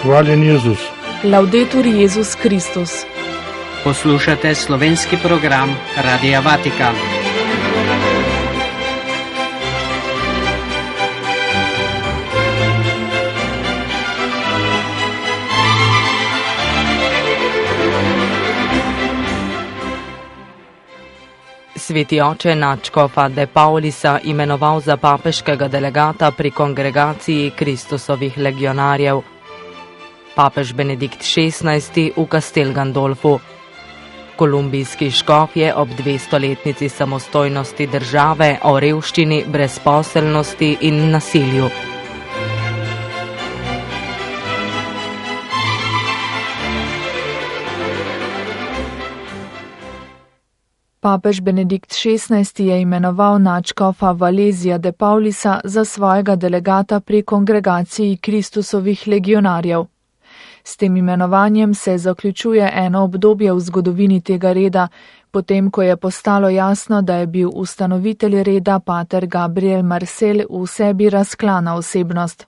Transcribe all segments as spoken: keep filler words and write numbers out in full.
Hvaljen Jezus. Laudetur Jezus Kristus. Poslušate slovenski program Radia Vatikan. Sveti oče nadškofa de Paulisa imenoval za papeškega delegata pri kongregaciji Kristusovih legionarjev. Papež Benedikt šestnajsti v Castel Gandolfu. Kolumbijski škof je ob dvestoletnici samostojnosti države o revščini, brezposelnosti in nasilju. Papež Benedikt šestnajsti je imenoval nadškofa Valezija de Paulisa za svojega delegata pri kongregaciji Kristusovih legionarjev. S tem imenovanjem se zaključuje eno obdobje v zgodovini tega reda, potem ko je postalo jasno, da je bil ustanovitelj reda pater Gabriel Marcel v sebi razklana osebnost.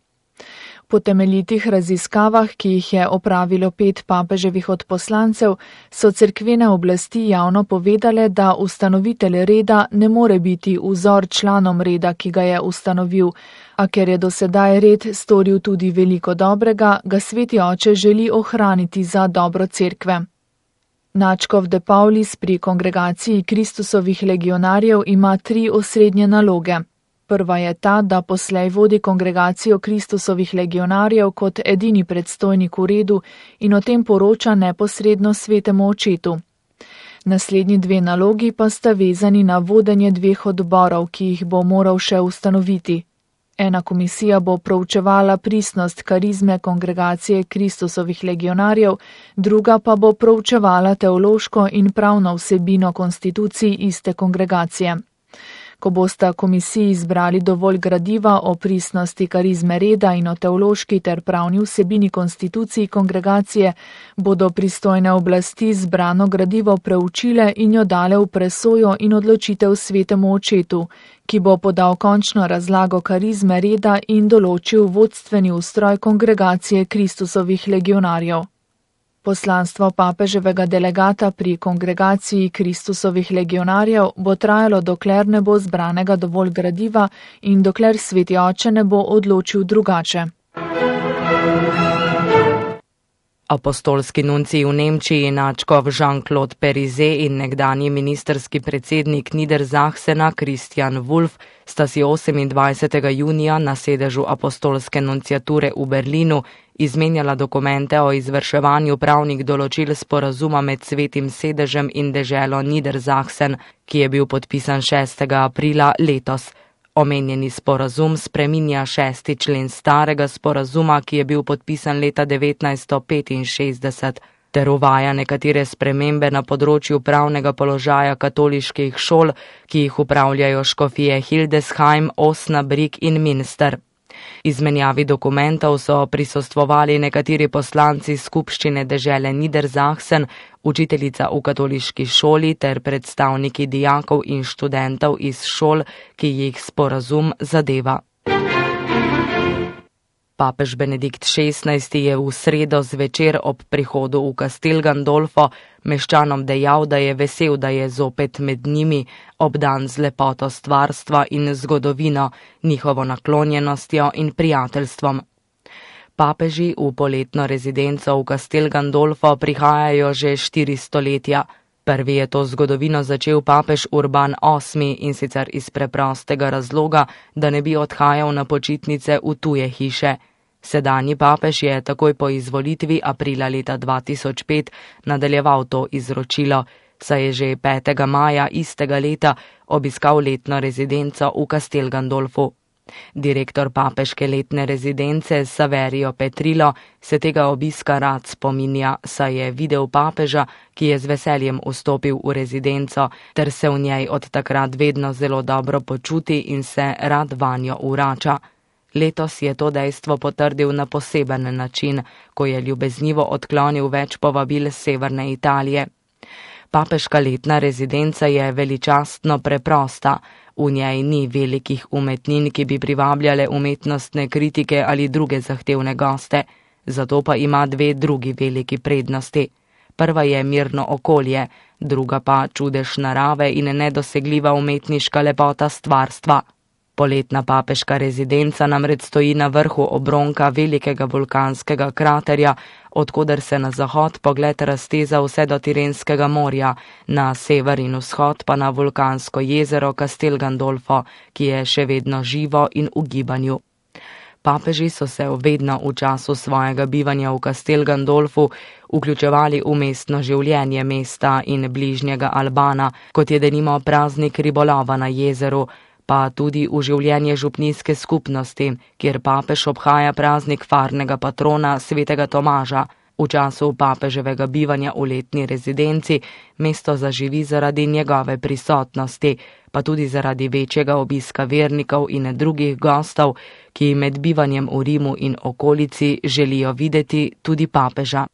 Po temeljitih raziskavah, ki jih je opravilo pet papeževih odposlancev, so cerkvene oblasti javno povedale, da ustanovitelj reda ne more biti vzor članom reda, ki ga je ustanovil, a ker je do sedaj red storil tudi veliko dobrega, ga sveti oče želi ohraniti za dobro cerkve. Nadškof de Paulis pri kongregaciji Kristusovih legionarjev ima tri osrednje naloge. Prva je ta, da poslej vodi kongregacijo Kristusovih legionarjev kot edini predstojnik v redu in o tem poroča neposredno svetemu očetu. Naslednji dve nalogi pa sta vezani na vodenje dveh odborov, ki jih bo moral še ustanoviti. Ena komisija bo proučevala pristnost karizme kongregacije Kristusovih legionarjev, druga pa bo proučevala teološko in pravno vsebino konstitucij iste kongregacije. Ko bosta komisiji izbrali dovolj gradiva o pristnosti karizme reda in o teološki ter pravni vsebini konstitucij kongregacije, bodo pristojne oblasti zbrano gradivo preučile in jo dale v presojo in odločitev svetemu očetu, ki bo podal končno razlago karizme reda in določil vodstveni ustroj kongregacije Kristusovih legionarjev. Poslanstvo papeževega delegata pri kongregaciji Kristusovih legionarjev bo trajalo, dokler ne bo zbranega dovolj gradiva in dokler sveti oče ne bo odločil drugače. Apostolski nuncij v Nemčiji nadškof Jean-Claude Périzet in nekdanji ministerski predsednik Niedersachsena Christian Wulff sta si osemindvajsetega junija na sedežu apostolske nunciature v Berlinu izmenjala dokumente o izvrševanju pravnih določil sporazuma med Svetim sedežem in deželo Niedersachsen, ki je bil podpisan šestega aprila letos. Omenjeni sporazum spreminja šesti člen starega sporazuma, ki je bil podpisan leta devetnajststo petinšestdeset, ter uvaja nekatere spremembe na področju pravnega položaja katoliških šol, ki jih upravljajo škofije Hildesheim, Osnabrück in Münster. Izmenjavi dokumentov so prisostvovali nekateri poslanci skupščine dežele Niedersachsen, učiteljica v katoliški šoli ter predstavniki dijakov in študentov iz šol, ki jih sporazum zadeva. Papež Benedikt šestnajsti je v sredo zvečer ob prihodu v Castel Gandolfo meščanom dejal, da je vesel, da je zopet med njimi, obdan z lepoto stvarstva in zgodovino, njihovo naklonjenostjo in prijateljstvom. Papeži v poletno rezidenco v Castel Gandolfo prihajajo že štiri stoletja. Prvi je to zgodovino začel papež Urban osmi in sicer iz preprostega razloga, da ne bi odhajal na počitnice v tuje hiše. Sedanji papež je takoj po izvolitvi aprila leta dva tisoč pet nadaljeval to izročilo, saj je že petega maja istega leta obiskal letno rezidenco v Castel Gandolfu. Direktor papeške letne rezidence Saverio Petrillo se tega obiska rad spominja, saj je videl papeža, ki je z veseljem vstopil v rezidenco, ter se v njej od takrat vedno zelo dobro počuti in se rad vanjo vrača. Letos je to dejstvo potrdil na poseben način, ko je ljubeznivo odklonil več povabil severne Italije. Papeška letna rezidenca je veličastno preprosta. V njej ni velikih umetnin, ki bi privabljale umetnostne kritike ali druge zahtevne goste. zato pa ima dve drugi veliki prednosti. Prva je mirno okolje, druga pa čudež narave in nedosegljiva umetniška lepota stvarstva. Poletna papeška rezidenca namreč stoji na vrhu obronka velikega vulkanskega kraterja, odkuder se na zahod pogled razteza vse do Tirenskega morja, na sever in vzhod pa na vulkansko jezero Castel Gandolfo, ki je še vedno živo in v gibanju. Papeži so se vedno v času svojega bivanja v Castel Gandolfu vključevali v mestno življenje mesta in bližnjega Albana, kot je denimo praznik ribolova na jezeru, pa tudi v življenje župnijske skupnosti, kjer papež obhaja praznik farnega patrona svetega Tomaža. V času papeževega bivanja v letni rezidenci mesto zaživi zaradi njegove prisotnosti, pa tudi zaradi večjega obiska vernikov in drugih gostov, ki med bivanjem v Rimu in okolici želijo videti tudi papeža.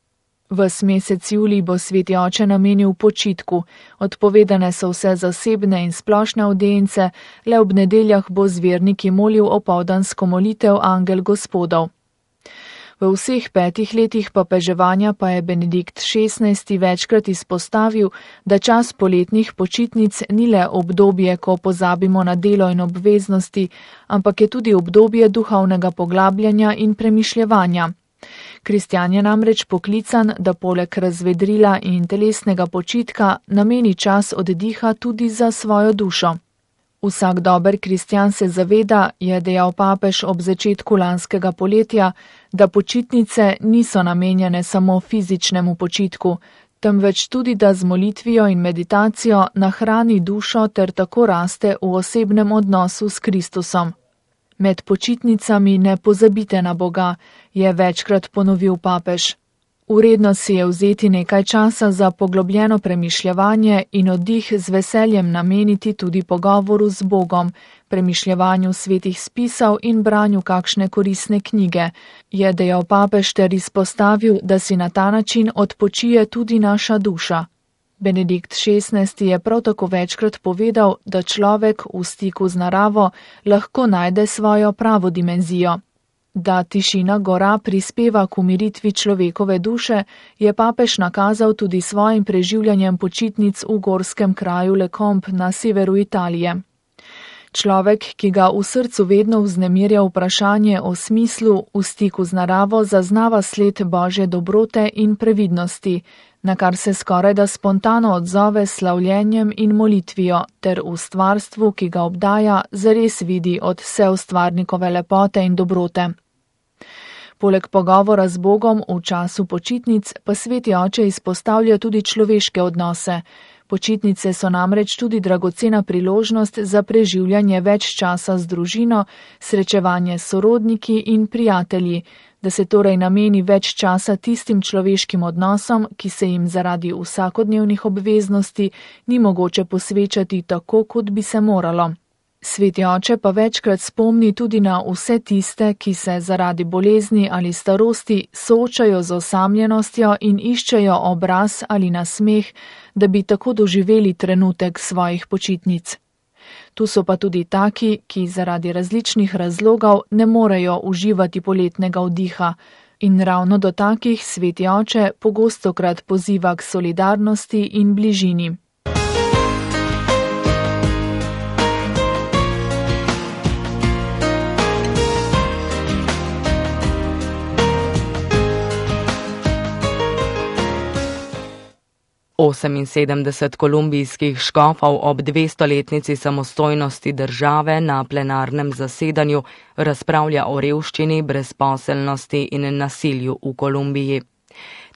Ves mesec julij bo sveti oče namenil počitku, odpovedane so vse zasebne in splošne avdience, le ob nedeljah bo z verniki molil opoldansko molitev Angel Gospodov. V vseh petih letih papeževanja pa je Benedikt šestnajsti večkrat izpostavil, da čas poletnih počitnic ni le obdobje, ko pozabimo na delo in obveznosti, ampak je tudi obdobje duhovnega poglabljanja in premišljevanja. Kristjan je namreč poklican, da poleg razvedrila in telesnega počitka nameni čas oddiha tudi za svojo dušo. Vsak dober kristjan se zaveda, je dejal papež ob začetku lanskega poletja, da počitnice niso namenjene samo fizičnemu počitku, temveč tudi, da z molitvijo in meditacijo nahrani dušo ter tako raste v osebnem odnosu s Kristusom. Med počitnicami ne pozabite na Boga, je večkrat ponovil papež. Uredno si je vzeti nekaj časa za poglobljeno premišljevanje in oddih z veseljem nameniti tudi pogovoru z Bogom, premišljevanju svetih spisov in branju kakšne koristne knjige, je dejal papež ter izpostavil, da si na ta način odpočije tudi naša duša. Benedikt šestnajsti je prav tako večkrat povedal, da človek v stiku z naravo lahko najde svojo pravo dimenzijo. Da tišina gora prispeva k umiritvi človekove duše, je papež nakazal tudi svojim preživljanjem počitnic v gorskem kraju Le Combe na severu Italije. Človek, ki ga v srcu vedno vznemirja vprašanje o smislu, v stiku z naravo zaznava sled Božje dobrote in previdnosti, na kar se skorajda spontano odzove s slavljenjem in molitvijo, ter v stvarstvu, ki ga obdaja, zares vidi od vseustvarnikove lepote in dobrote. Poleg pogovora z Bogom v času počitnic pa sveti oče izpostavlja tudi človeške odnose. Počitnice so namreč tudi dragocena priložnost za preživljanje več časa z družino, srečevanje s sorodniki in prijatelji, da se torej nameni več časa tistim človeškim odnosom, ki se jim zaradi vsakodnevnih obveznosti ni mogoče posvečati tako, kot bi se moralo. Sveti oče pa večkrat spomni tudi na vse tiste, ki se zaradi bolezni ali starosti soočajo z osamljenostjo in iščejo obraz ali nasmeh, da bi tako doživeli trenutek svojih počitnic. Tu so pa tudi taki, ki zaradi različnih razlogov ne morejo uživati poletnega vdiha, in ravno do takih sveti oče pogostokrat poziva k solidarnosti in bližini. oseminsedemdeset kolumbijskih škofov ob dvestoletnici samostojnosti države na plenarnem zasedanju razpravlja o revščini, brezposelnosti in nasilju v Kolumbiji.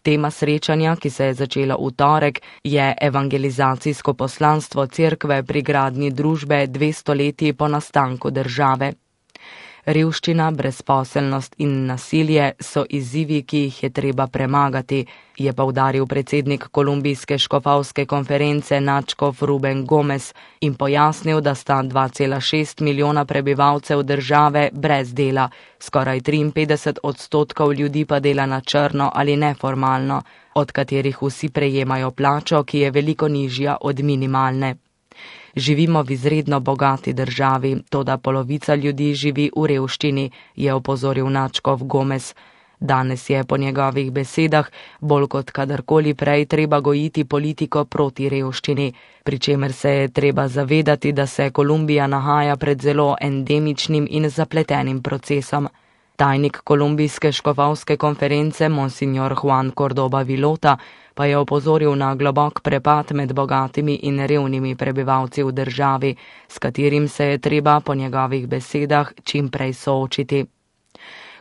Tema srečanja, ki se je začela v torek, je evangelizacijsko poslanstvo cerkve pri gradnji družbe dve stoletji po nastanku države. Revščina, brezposelnost in nasilje so izzivi, ki jih je treba premagati, je poudaril predsednik kolumbijske škofovske konference Načkov Ruben Gomez in pojasnil, da sta dva cela šest milijona prebivalcev države brez dela, skoraj triinpetdeset odstotkov ljudi pa dela na črno ali neformalno, od katerih vsi prejemajo plačo, ki je veliko nižja od minimalne. Živimo v izredno bogati državi, toda polovica ljudi živi v revščini, je opozoril Načkov Gomez. Danes je po njegovih besedah bolj kot kadarkoli prej treba gojiti politiko proti revščini, pri čemer se je treba zavedati, da se Kolumbija nahaja pred zelo endemičnim in zapletenim procesom. Tajnik kolumbijske škofovske konference Monsignor Juan Cordoba Vilota pa je opozoril na globok prepad med bogatimi in revnimi prebivalci v državi, s katerim se je treba po njegovih besedah čim prej soočiti.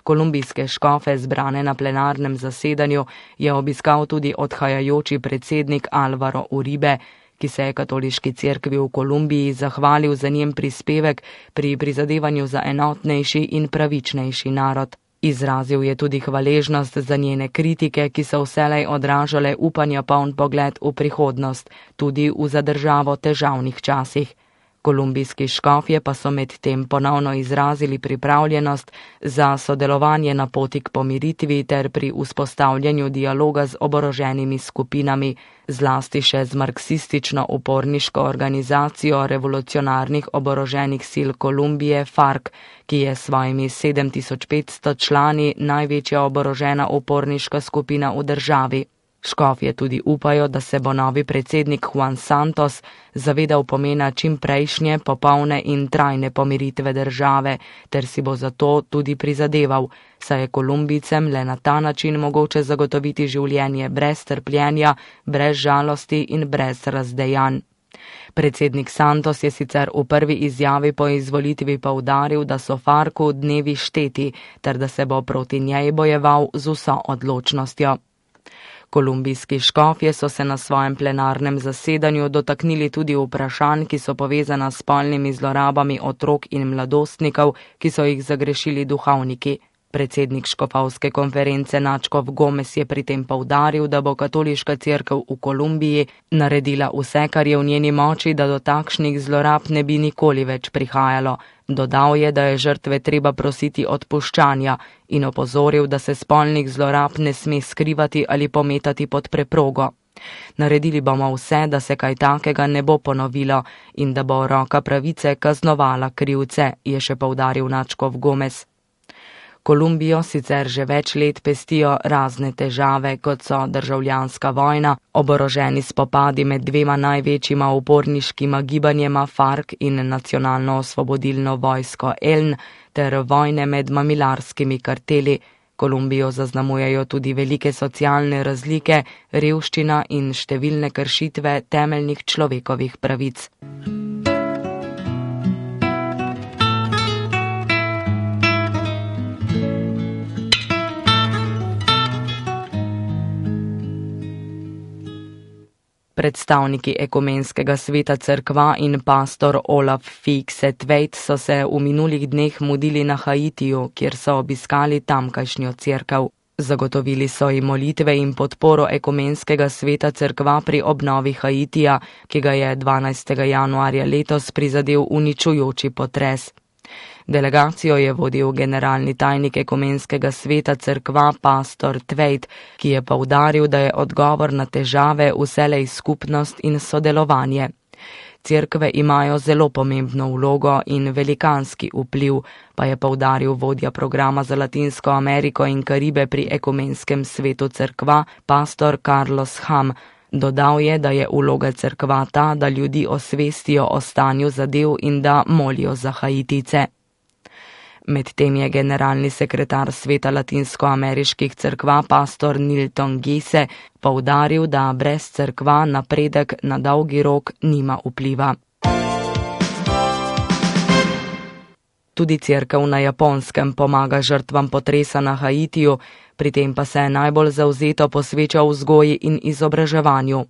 Kolumbijske škofe, zbrane na plenarnem zasedanju, je obiskal tudi odhajajoči predsednik Alvaro Uribe, ki se je katoliški cerkvi v Kolumbiji zahvalil za njen prispevek pri prizadevanju za enotnejši in pravičnejši narod. Izrazil je tudi hvaležnost za njene kritike, ki so vselej odražale upanja poln pogled v prihodnost, tudi v za državo težavnih časih. Kolumbijski škofje pa so med tem ponovno izrazili pripravljenost za sodelovanje na poti k pomiritvi ter pri vzpostavljanju dialoga z oboroženimi skupinami, zlasti še z marksistično-uporniško organizacijo revolucionarnih oboroženih sil Kolumbije FARC, ki je s svojimi sedem tisoč petsto člani največja oborožena uporniška skupina v državi. Škofje tudi upajo, da se bo novi predsednik Juan Santos zavedal pomena čim prejšnje, popolne in trajne pomiritve države, ter si bo zato tudi prizadeval, saj je Kolumbijcem le na ta način mogoče zagotoviti življenje brez trpljenja, brez žalosti in brez razdejanj. Predsednik Santos je sicer v prvi izjavi po izvolitvi poudaril, da so FARC-u dnevi šteti, ter da se bo proti njej bojeval z vso odločnostjo. Kolumbijski škofje so se na svojem plenarnem zasedanju dotaknili tudi vprašanj, ki so povezana s spolnimi zlorabami otrok in mladostnikov, ki so jih zagrešili duhovniki. Predsednik škofovske konference Načkov Gomez je pri tem poudaril, da bo katoliška cerkev v Kolumbiji naredila vse, kar je v njeni moči, da do takšnih zlorab ne bi nikoli več prihajalo. Dodal je, da je žrtve treba prositi odpuščanja in opozoril, da se spolnih zlorab ne sme skrivati ali pometati pod preprogo. Naredili bomo vse, da se kaj takega ne bo ponovilo in da bo roka pravice kaznovala krivce, je še poudaril Načkov Gomez. Kolumbijo sicer že več let pestijo razne težave, kot so državljanska vojna, oboroženi spopadi med dvema največjima uporniškima gibanjema FARC in nacionalno osvobodilno vojsko E L N ter vojne med mamilarskimi karteli. Kolumbijo zaznamujejo tudi velike socialne razlike, revščina in številne kršitve temeljnih človekovih pravic. Predstavniki ekumenskega sveta cerkva in pastor Olaf Fikse-Tveit so se v minulih dneh mudili na Haitiju, kjer so obiskali tamkajšnjo cerkev. Zagotovili so jim molitve in podporo ekumenskega sveta cerkva pri obnovi Haitija, ki ga je dvanajstega januarja letos prizadel uničujoči potres. Delegacijo je vodil generalni tajnik ekumenskega sveta cerkva pastor Tveit, ki je poudaril, da je odgovor na težave vselej skupnost in sodelovanje. Cerkve imajo zelo pomembno vlogo in velikanski vpliv, pa je poudaril vodja programa za Latinsko Ameriko in Karibe pri ekumenskem svetu cerkva pastor Carlos Ham. Dodal je, da je vloga cerkva ta, da ljudi osvestijo o stanju zadev in da molijo za Haitice. Medtem je generalni sekretar sveta latinskoameriških cerkva pastor Nilton Gise poudaril, da brez cerkva napredek na dolgi rok nima vpliva. Tudi cerkev na Japonskem pomaga žrtvam potresa na Haitiju, pri tem pa se najbolj zavzeto posveča vzgoji in izobraževanju.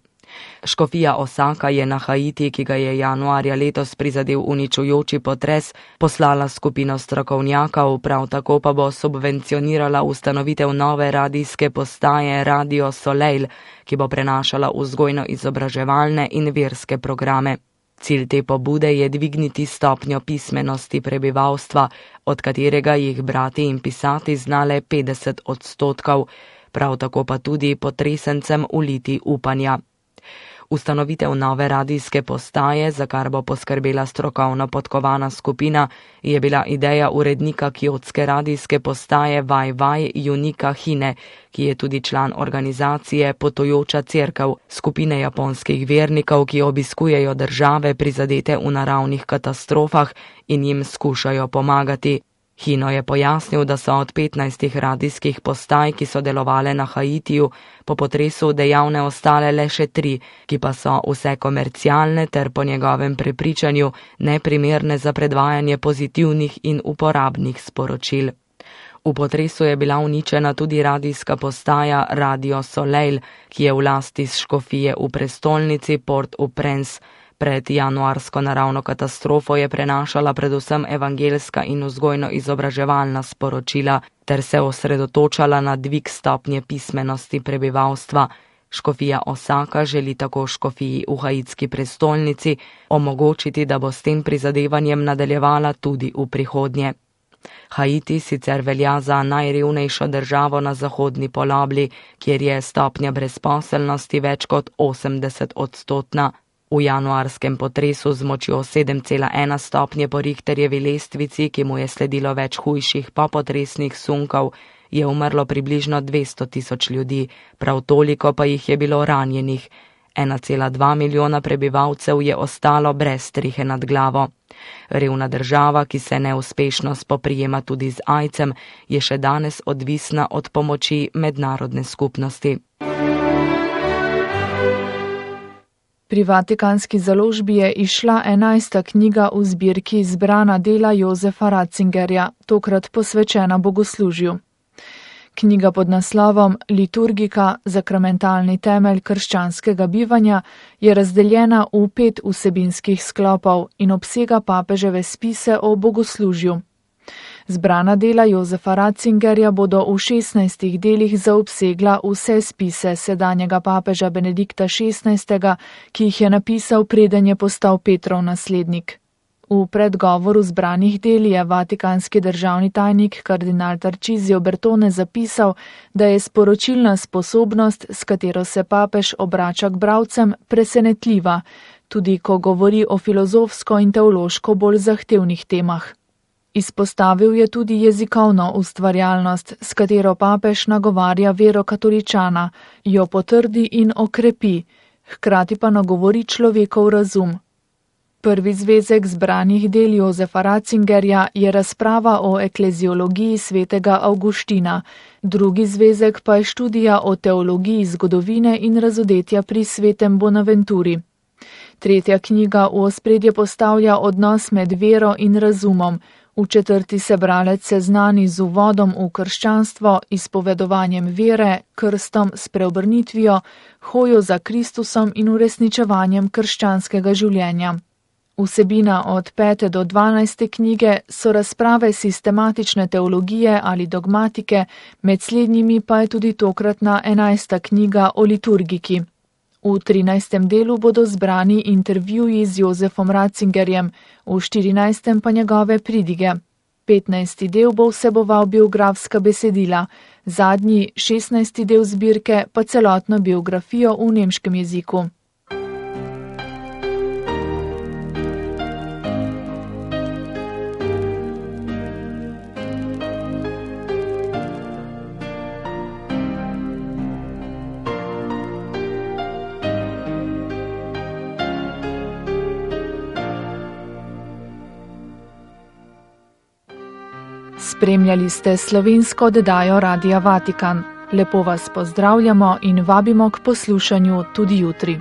Škofija Osaka je na Haiti, ki ga je januarja letos prizadel uničujoči potres, poslala skupino strokovnjakov, prav tako pa bo subvencionirala ustanovitev nove radijske postaje Radio Soleil, ki bo prenašala vzgojno-izobraževalne in verske programe. Cilj te pobude je dvigniti stopnjo pismenosti prebivalstva, od katerega jih brati in pisati zna le petdeset odstotkov, prav tako pa tudi potresencem uliti upanja. Ustanovitev nove radijske postaje, za kar bo poskrbela strokovno podkovana skupina, je bila ideja urednika kjotske radijske postaje Vaj Vaj Junika Hine, ki je tudi član organizacije Potujoča cerkev, skupine japonskih vernikov, ki obiskujejo države prizadete v naravnih katastrofah in jim skušajo pomagati. Hino je pojasnil, da so od petnajstih radijskih postaj, ki so delovale na Haitiju, po potresu dejavne ostale le še tri, ki pa so vse komercialne ter po njegovem prepričanju neprimerne za predvajanje pozitivnih in uporabnih sporočil. V potresu je bila uničena tudi radijska postaja Radio Soleil, ki je v lasti škofije v prestolnici Port-au-Prince. Pred januarsko naravno katastrofo je prenašala predvsem evangeljska in vzgojno-izobraževalna sporočila ter se osredotočala na dvig stopnje pismenosti prebivalstva. Škofija Osaka želi tako škofiji v haitski prestolnici omogočiti, da bo s tem prizadevanjem nadaljevala tudi v prihodnje. Haiti sicer velja za najrevnejšo državo na zahodni polobli, kjer je stopnja brezposelnosti več kot osemdeset odstotna. V januarskem potresu z močjo sedem cela ena stopnje po Richterjevi lestvici, ki mu je sledilo več hujših popotresnih sunkov, je umrlo približno dvesto tisoč ljudi, prav toliko pa jih je bilo ranjenih. ena cela dva milijona prebivalcev je ostalo brez strehe nad glavo. Revna država, ki se neuspešno spoprijema tudi z aidsom, je še danes odvisna od pomoči mednarodne skupnosti. Pri Vatikanski založbi je izšla enajsta knjiga v zbirki Zbrana dela Jozefa Ratzingerja, tokrat posvečena bogoslužju. Knjiga pod naslovom Liturgika, zakramentalni temelj krščanskega bivanja, je razdeljena v pet vsebinskih sklopov in obsega papeževe spise o bogoslužju. Zbrana dela Jozefa Ratzingerja bodo v šestnajstih delih zaobsegla vse spise sedanjega papeža Benedikta šestnajstega, ki jih je napisal, preden je postal Petrov naslednik. V predgovoru zbranih del je vatikanski državni tajnik kardinal Tarcisio Bertone zapisal, da je sporočilna sposobnost, s katero se papež obrača k bralcem, presenetljiva, tudi ko govori o filozofsko in teološko bolj zahtevnih temah. Izpostavil je tudi jezikovno ustvarjalnost, s katero papež nagovarja vero katoličana, jo potrdi in okrepi, hkrati pa nagovori človekov razum. Prvi zvezek zbranih del Jozefa Ratzingerja je razprava o ekleziologiji svetega Avguština, drugi zvezek pa je študija o teologiji zgodovine in razodetja pri svetem Bonaventuri. Tretja knjiga v ospredje postavlja odnos med vero in razumom, v četrti se bralec seznani z uvodom v krščanstvo, izpovedovanjem vere, krstom, spreobrnitvijo, hojo za Kristusom in uresničevanjem krščanskega življenja. Vsebina od pete do dvanajste knjige so razprave sistematične teologije ali dogmatike, med slednjimi pa je tudi tokratna enajsta knjiga o liturgiki. V trinajstem delu bodo zbrani intervjuji z Jozefom Ratzingerjem, v štirinajstem pa njegove pridige. petnajsti del bo vseboval biografska besedila, zadnji, šestnajsti del zbirke pa celotno biografijo v nemškem jeziku. Spremljali ste slovensko oddajo Radia Vatikan. Lepo vas pozdravljamo in vabimo k poslušanju tudi jutri.